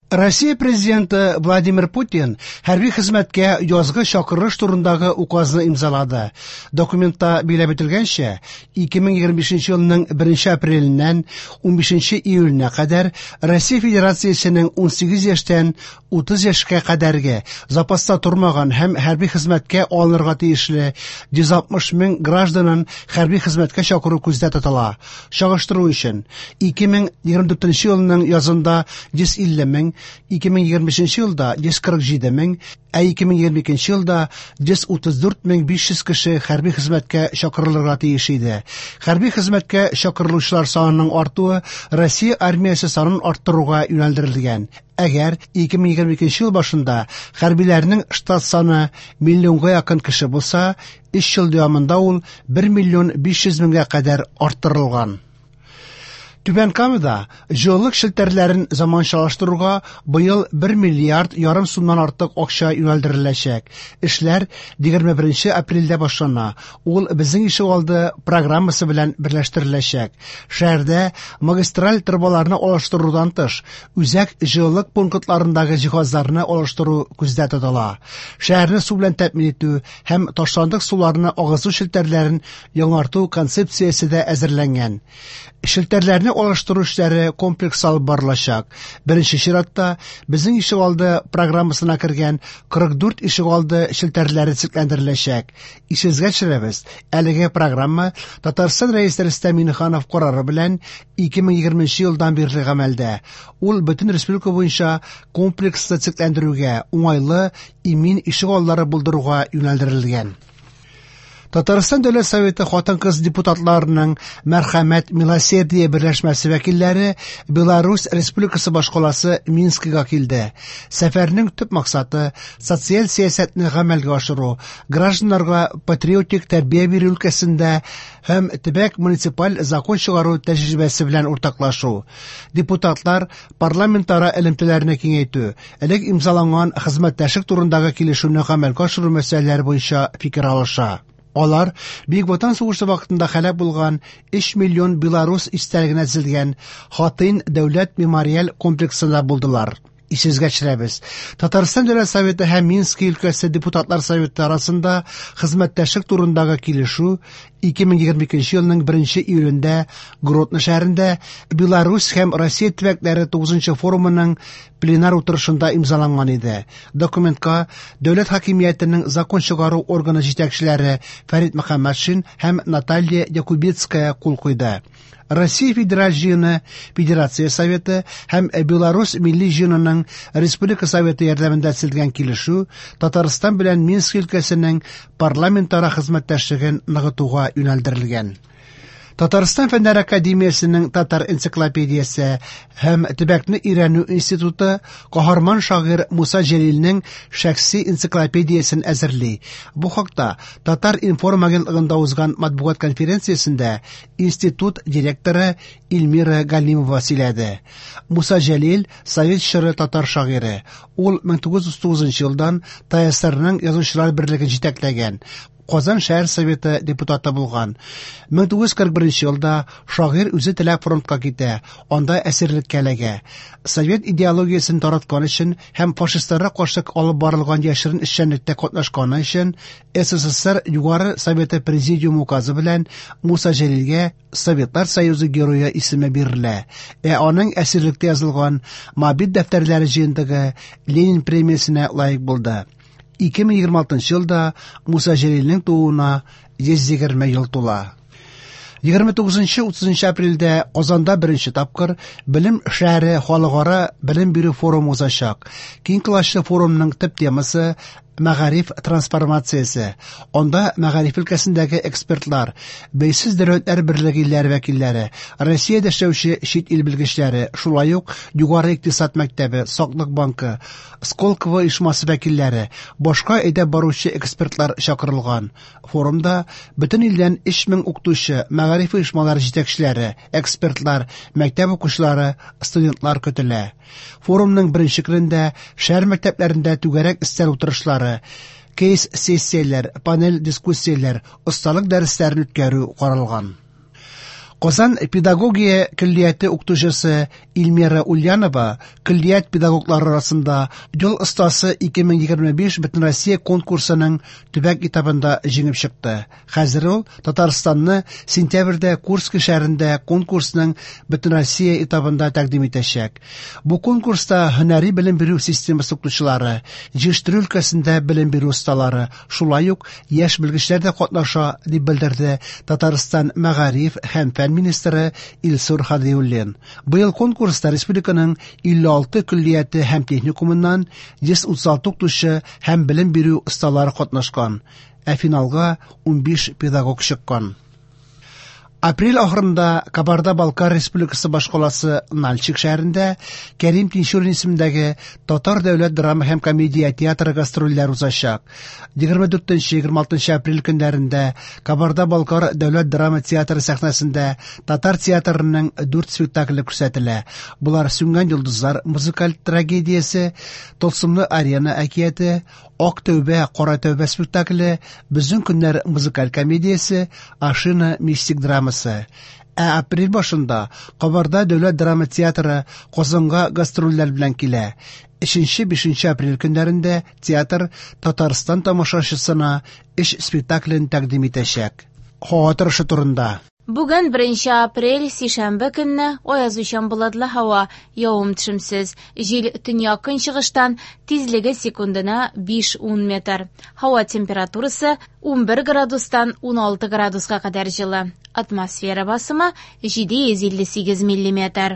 Россия Президенты Владимир Путин хәрби хезмәткә язгы чакырыш турындагы указны имзалады. Документта билгеләп үтелгәнчә, 2025 елның 1 апреленнән 15 июленә кадәр Россия Федерациясенең 18 яшьтән 30 яшькә кадәрге запаста тормаган һәм хәрби хезмәткә алынырга тиешле 160 мең гражданын хәрби хезмәткә чакыру күздә тотыла. Чагыштыру өчен, 2024 елның язында 150 мең, 2025 елда 147 мең, ә 2022 елда 134 мең 500 кеше хәрби хезмәткә чакырылырга тиеш иде. Хәрби хезмәткә чакырылучылар санының артуы Россия армиясе санын арттыруга юнәлдерелгән. Әгәр 2022 ел башында хәрбиләрнең штат саны миллионга якын кеше булса, 3 ел дәвамында ул 1 миллион 500 меңгә кадәр арттырылган. Түбән Камада җылылык челтәрләрен заманчалаштыруга быел 1 миллиард ярым сумнан артык акча юнәлдереләчәк. Эшләр 21 апрельдә башлана. Ул Безнең ишегалды программасы белән берләштереләчәк. Шәһәрдә магистраль торбаларны алыштырудан тыш, үзәк җылылык пунктларындагы җиһазларны алыштыру күздә тотыла. Шәһәрне су белән тәэмин итү һәм ташландык суларны агызу челтәрләрен яңарту концепциясе дә әзерләнгән. Челтәрләрне алыштыру эшләре комплекс алып барылачак. Беренче чиратта Безнең ишегалды программасына кергән 44 ишегалды челтәрләре төзекләндереләчәк. Исегезгә төшерәбез, әлеге программа Татарстан Рәисе Рөстәм Миңнеханов карары белән 2020 елдан бирле гамәлдә. Ул бөтен республика буенча комплекслы төзекләндерүгә, уңайлы, имин ишегаллары булдыруга юнәлдерелгән. Татарстан Дәүләт Советы хатын-кыз депутатларының Мәрхәмәт Милосердие берләшмәсе вәкилләре Беларусь Республикасы башкаласы Минскига килде. Сәфәрнең төп максаты социаль сәясәтне гамәлгә ашыру, гражданнарга патриотик тәрбия бирү өлкәсендә һәм төбәк муниципаль закон чыгару тәҗрибәсе белән уртаклашу. Депутатлар парламентара элемтәләрне киңәйтү, элек имзаланган хезмәттәшлек турындагы килешүне гамәлгә ашыру мәсьәләләре буенча фикер алыша. Алар Бөек Ватан сугышы вакытында һәлак булган 3 миллион белорус истәлегенә төзелгән Хатынь дәүләт мемориаль комплексында булдылар. Исегезгә төшерәбез, Татарстан Дәүләт Советы һәм Мински өлкәсе депутатлар советы арасында хезмәттәшлек турындагы килешү 2022 елның 1 июлендә Гродно шәһәрендә Беларусь һәм Россия төбәкләре 9 форумының пленар утырышында имзаланган иде. Документка дәүләт хакимиятенең закон чыгару органы җитәкчеләре Фәрит Мөхәммәтшин һәм Наталья Якубецкая кул куйды. Россия Федераль Җыены, Федерация Советы һәм Беларусь Милли Җыенының Республика Советы ярдәмендә төзелгән килешү Татарстан белән Минск өлкәсенең парламентара хезмәттәшлеген ныгытуга юнәлдерелгән. Татарстан Фәннәр академиясенең Татар энциклопедиясе һәм төбәкне өйрәнү институты каһарман шагыйрь Муса Җәлилнең шәхси энциклопедиясен әзерли. Бу хакта Татар-информ агентлыгында узган матбугат конференциясендә институт директоры Эльмира Галимова сөйләде. Муса Җәлил совет чоры татар шагыйре. Ул 1939 елдан ТАССРның Язучылар берлеген җитәкләгән. Казан шәһәр советы депутаты булган. 1941 елда шагыйрь үзе теләп фронтка китә, анда әсирлеккә эләгә. Совет идеологиясен тараткан өчен һәм фашистларга каршы алып барылган яшерен эшчәнлектә катнашканы өчен СССР Югары Советы Президиумы указы белән Муса Җәлилгә Советлар Союзы Герое исеме бирелә. Ә аның әсирлектә язылган Моабит дәфтәрләре җыентыгы Ленин премиясенә лаек булды. 2026 елда Муса Җәлилнең тууына 120 ел тула. 29-30 апрельдә Казанда беренче тапкыр Белем шәһәре халыкара белем бирү форумы узачак. Киң колачлы форумның төп темасы мәгариф трансформациясе. Анда мәгариф өлкәсендәге экспертлар, Бәйсез дәүләтләр берлеге илләре вәкилләре, Россиядә эшләүче чит ил белгечләре, шулай ук Югары икътисад мәктәбе, Саклык банкы, Сколково оешмасы вәкилләре, башка әйдәп баручы экспертлар чакырылган. Форумда бөтен илдән 3000 укытучы, мәгариф оешмалары җитәкчеләре, экспертлар, мәктәп укучылары, студентлар көтелә. Форумның беренче көнендә шәһәр мәктәпләрендә түгәрәк өстәл утырышлары, кейс-сессияләр, панель дискуссияләр, осталык дәресләрен үткәрү каралган. Казан педагогия көллияте укытучысы Эльмира Ульянова көллият педагоглары арасында «Юл остасы 2025» Бөтенроссия конкурсының төбәк этабында җиңеп чыкты. Хәзер ул Татарстанны сентябрьдә Курск шәһәрендә конкурсның Бөтенроссия этабында тәкъдим итәчәк. Бу конкурста һөнәри белем бирү системасы укытучылары, җитештерү өлкәсендә белем бирү осталары, шулай ук яшь белгечләр дә катнаша, дип белдерде Татарстан мәгариф һәм фән министры Илсур Һадиуллин. Быел конкурста республиканың 56 көллияте һәм техникумыннан 136 укытучы һәм белем бирү осталары катнашкан, ә финалга 15 педагог чыккан. Апрель ахырында Кабарда-Балкар Республикасы башкаласы Нальчик шәһәрендә Кәрим Тинчурин исемендәге Татар дәүләт драма һәм комедия театры гастрольләр узачак. 24-26 апрель көннәрендә Кабарда-Балкар дәүләт драма театры сәхнәсендә татар театрының 4 спектакле күрсәтелә. Болар Сүнгән йолдызлар музыкаль трагедиясе, Тылсымлы арена әкияте, Ак тәүбә, кара тәүбә спектакле, Безнең көннәр музыкаль комедиясе, Ашина мистик драмасы. Ә апрель башында Кабарда дәүләт драма театры Казанга гастрольләр белән килә. 3-5 апрель көннәрендә театр Татарстан тамашачысына өч спектаклен тәкъдим итәчәк. Һава торышы турында. Бүген 1 апрель, сишәмбе көнне аязучан болытлы һава, явым-төшемсез. Җил төньяк-көнчыгыштан, тизлеге секундына 5-10 метр. Һава температурасы 11 градустан 16 градуска кадәр җылы. Атмосфера басымы 758 миллиметр.